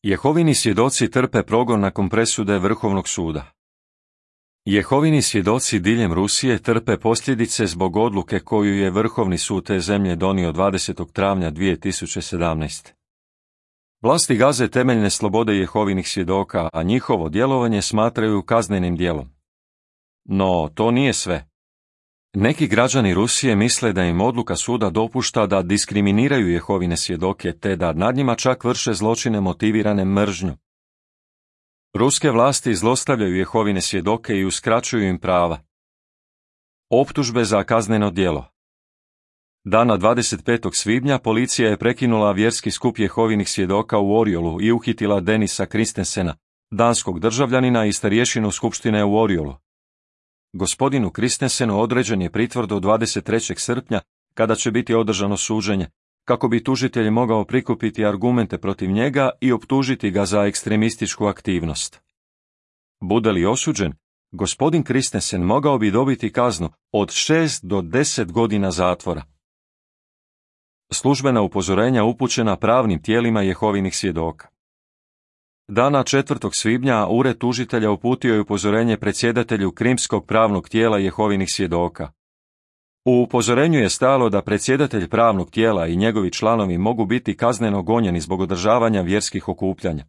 Jehovini svjedoci trpe progon nakon presude Vrhovnog suda. Jehovini svjedoci diljem Rusije trpe posljedice zbog odluke koju je Vrhovni sud te zemlje donio 20. travnja 2017. Vlasti gaze temeljne slobode Jehovinih svjedoka, a njihovo djelovanje smatraju kaznenim djelom. No, to nije sve. Neki građani Rusije misle da im odluka suda dopušta da diskriminiraju Jehovine svjedoke te da nad njima čak vrše zločine motivirane mržnjom. Ruske vlasti zlostavljaju Jehovine svjedoke i uskraćuju im prava. Optužbe za kazneno djelo. Dana 25. svibnja policija je prekinula vjerski skup Jehovinih svjedoka u Oriolu i uhitila Denisa Kristensena, danskog državljanina i starješinu skupštine u Oriolu. Gospodinu Kristensenu određen je pritvor do 23. srpnja, kada će biti održano suđenje, kako bi tužitelj mogao prikupiti argumente protiv njega i optužiti ga za ekstremističku aktivnost. Bude li osuđen, gospodin Kristensen mogao bi dobiti kaznu od 6 do 10 godina zatvora. Službena upozorenja upućena pravnim tijelima Jehovinih svjedoka. Dana 4. svibnja ured tužitelja uputio je upozorenje predsjedatelju Krimskog pravnog tijela Jehovinih svjedoka. U upozorenju je stajalo da predsjedatelj pravnog tijela i njegovi članovi mogu biti kazneno gonjeni zbog održavanja vjerskih okupljanja.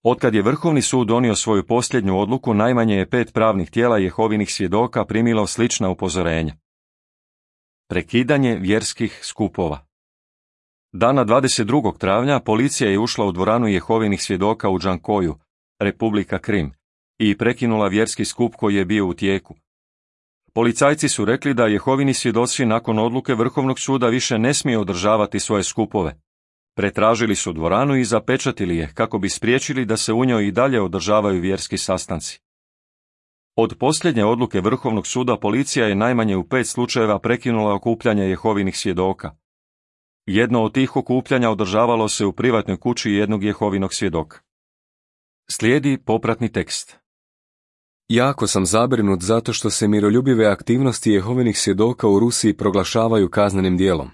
Otkad je Vrhovni sud donio svoju posljednju odluku, najmanje je 5 pravnih tijela Jehovinih svjedoka primilo slična upozorenja. Prekidanje vjerskih skupova. Dana 22. travnja policija je ušla u dvoranu Jehovinih svjedoka u Džankoju, Republika Krim, i prekinula vjerski skup koji je bio u tijeku. Policajci su rekli da Jehovini svjedoci nakon odluke Vrhovnog suda više ne smiju održavati svoje skupove. Pretražili su dvoranu i zapečatili je kako bi spriječili da se u njoj i dalje održavaju vjerski sastanci. Od posljednje odluke Vrhovnog suda policija je najmanje u 5 slučajeva prekinula okupljanje Jehovinih svjedoka. Jedno od tih okupljanja održavalo se u privatnoj kući jednog Jehovinog svjedoka. Slijedi popratni tekst. Jako sam zabrinut zato što se miroljubive aktivnosti Jehovinih svjedoka u Rusiji proglašavaju kaznenim djelom.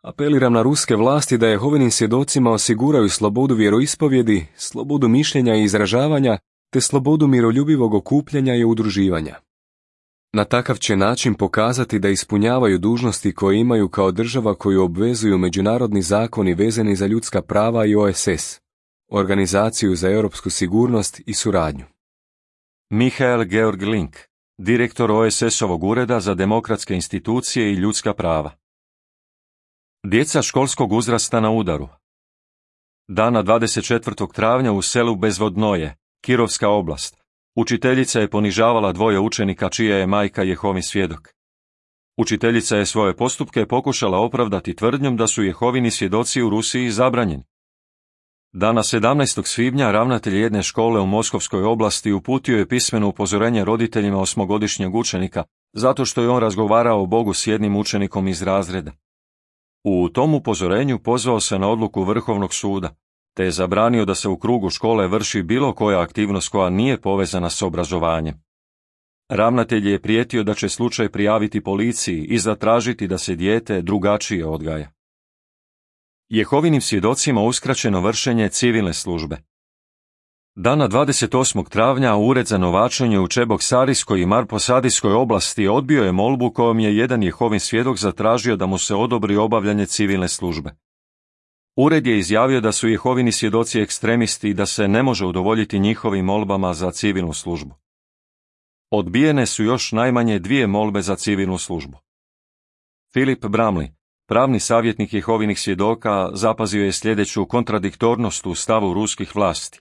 Apeliram na ruske vlasti da Jehovinim svjedocima osiguraju slobodu vjeroispovjedi, slobodu mišljenja i izražavanja, te slobodu miroljubivog okupljanja i udruživanja. Na takav će način pokazati da ispunjavaju dužnosti koje imaju kao država koju obvezuju međunarodni zakoni vezani za ljudska prava i OSS, Organizaciju za europsku sigurnost i suradnju. Mihael Georg Link, direktor OSS-ovog ureda za demokratske institucije i ljudska prava. Djeca školskog uzrasta na udaru. Dana 24. travnja u selu Bezvodnoje, Kirovska oblast, učiteljica je ponižavala 2 učenika čija je majka Jehovin svjedok. Učiteljica je svoje postupke pokušala opravdati tvrdnjom da su Jehovini svjedoci u Rusiji zabranjeni. Dana 17. svibnja ravnatelj jedne škole u Moskovskoj oblasti uputio je pismeno upozorenje roditeljima 8-godišnjeg učenika, zato što je on razgovarao o Bogu s jednim učenikom iz razreda. U tom upozorenju pozvao se na odluku Vrhovnog suda, te je zabranio da se u krugu škole vrši bilo koja aktivnost koja nije povezana s obrazovanjem. Ravnatelj je prijetio da će slučaj prijaviti policiji i zatražiti da se dijete drugačije odgaja. Jehovinim svjedocima uskraćeno vršenje civilne službe. Dana 28. travnja Ured za novačenje u Čeboksarijskoj i Marposadijskoj oblasti odbio je molbu kojom je jedan Jehovin svjedok zatražio da mu se odobri obavljanje civilne službe. Ured je izjavio da su Jehovini svjedoci ekstremisti i da se ne može udovoljiti njihovim molbama za civilnu službu. Odbijene su još najmanje 2 molbe za civilnu službu. Philip Bramley, pravni savjetnik Jehovinih svjedoka, zapazio je sljedeću kontradiktornost u stavu ruskih vlasti.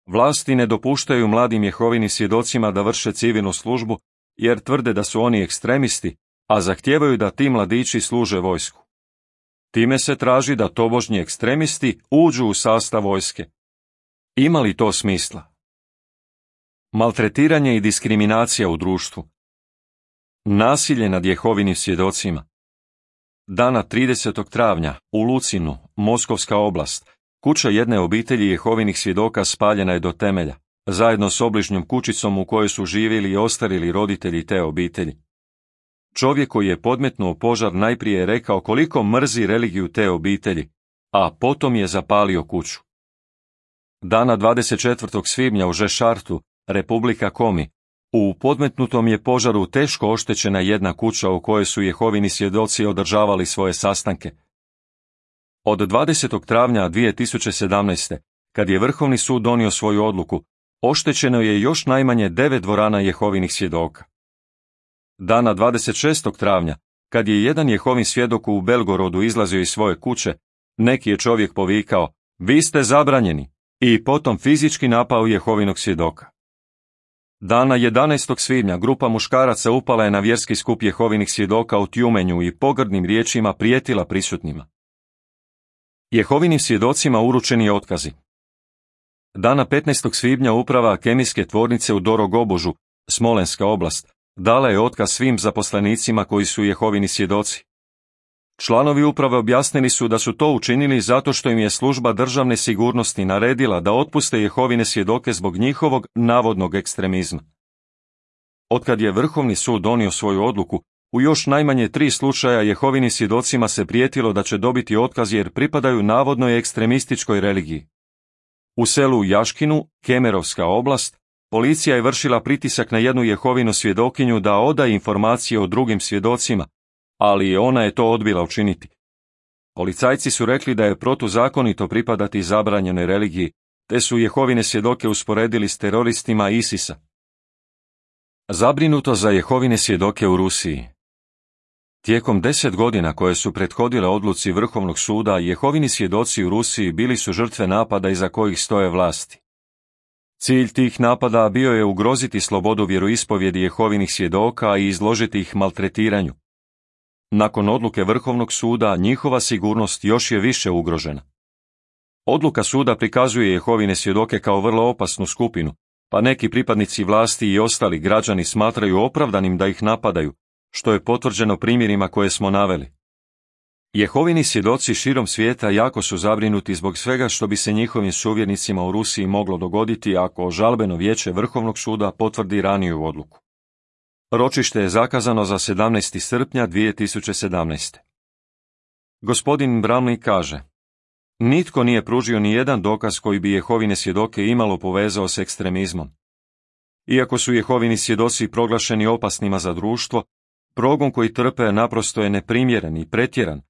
Vlasti ne dopuštaju mladim Jehovinim svjedocima da vrše civilnu službu, jer tvrde da su oni ekstremisti, a zahtijevaju da ti mladići služe vojsku. Time se traži da tobožnji ekstremisti uđu u sastav vojske. Ima li to smisla? Maltretiranje i diskriminacija u društvu. Nasilje nad Jehovinim svjedocima. Dana 30. travnja u Lucinu, Moskovska oblast, kuća jedne obitelji Jehovinih svjedoka spaljena je do temelja, zajedno s obližnjom kućicom u kojoj su živjeli i ostarili roditelji te obitelji. Čovjek koji je podmetnuo požar najprije je rekao koliko mrzi religiju te obitelji, a potom je zapalio kuću. Dana 24. svibnja u Žešartu, Republika Komi, u podmetnutom je požaru teško oštećena jedna kuća u kojoj su Jehovini svjedoci održavali svoje sastanke. Od 20. travnja 2017. kad je Vrhovni sud donio svoju odluku, oštećeno je još najmanje 9 dvorana Jehovinih svjedoka. Dana 26. travnja, kad je jedan Jehovin svjedok u Belgorodu izlazio iz svoje kuće, neki je čovjek povikao, vi ste zabranjeni, i potom fizički napao Jehovinog svjedoka. Dana 11. svibnja grupa muškaraca upala je na vjerski skup Jehovinih svjedoka u Tjumenju i pogrdnim riječima prijetila prisutnima. Jehovinim svjedocima uručeni je otkazi. Dana 15. svibnja uprava kemijske tvornice u Dorogobožu, Smolenska oblast, dala je otkaz svim zaposlenicima koji su Jehovini svjedoci. Članovi uprave objasnili su da su to učinili zato što im je služba državne sigurnosti naredila da otpuste Jehovine svjedoke zbog njihovog navodnog ekstremizma. Otkad je Vrhovni sud donio svoju odluku, u još najmanje 3 slučaja Jehovinim svjedocima se prijetilo da će dobiti otkaz jer pripadaju navodnoj ekstremističkoj religiji. U selu Jaškinu, Kemerovska oblast, policija je vršila pritisak na jednu Jehovinu svjedokinju da oda informacije o drugim svjedocima, ali ona je to odbila učiniti. Policajci su rekli da je protuzakonito pripadati zabranjenoj religiji, te su Jehovine svjedoke usporedili s teroristima ISIS-a. Zabrinuto za Jehovine svjedoke u Rusiji. Tijekom 10 godina koje su prethodile odluci Vrhovnog suda, Jehovini svjedoci u Rusiji bili su žrtve napada iza kojih stoje vlasti. Cilj tih napada bio je ugroziti slobodu vjeroispovjedi Jehovinih svjedoka i izložiti ih maltretiranju. Nakon odluke Vrhovnog suda, njihova sigurnost još je više ugrožena. Odluka suda prikazuje Jehovine svjedoke kao vrlo opasnu skupinu, pa neki pripadnici vlasti i ostali građani smatraju opravdanim da ih napadaju, što je potvrđeno primjerima koje smo naveli. Jehovini svjedoci širom svijeta jako su zabrinuti zbog svega što bi se njihovim suvjernicima u Rusiji moglo dogoditi ako žalbeno vijeće Vrhovnog suda potvrdi raniju odluku. Ročište je zakazano za 17. srpnja 2017. Gospodin Bramley kaže, nitko nije pružio ni jedan dokaz koji bi Jehovine svjedoke imalo povezao s ekstremizmom. Iako su Jehovini svjedoci proglašeni opasnima za društvo, progon koji trpe naprosto je neprimjeren i pretjeran.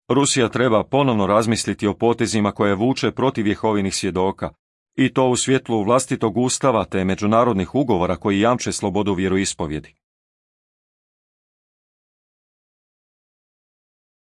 Rusija treba ponovno razmisliti o potezima koje vuče protiv Jehovinih svjedoka, i to u svjetlu vlastitog ustava te međunarodnih ugovora koji jamče slobodu vjeroispovjedi.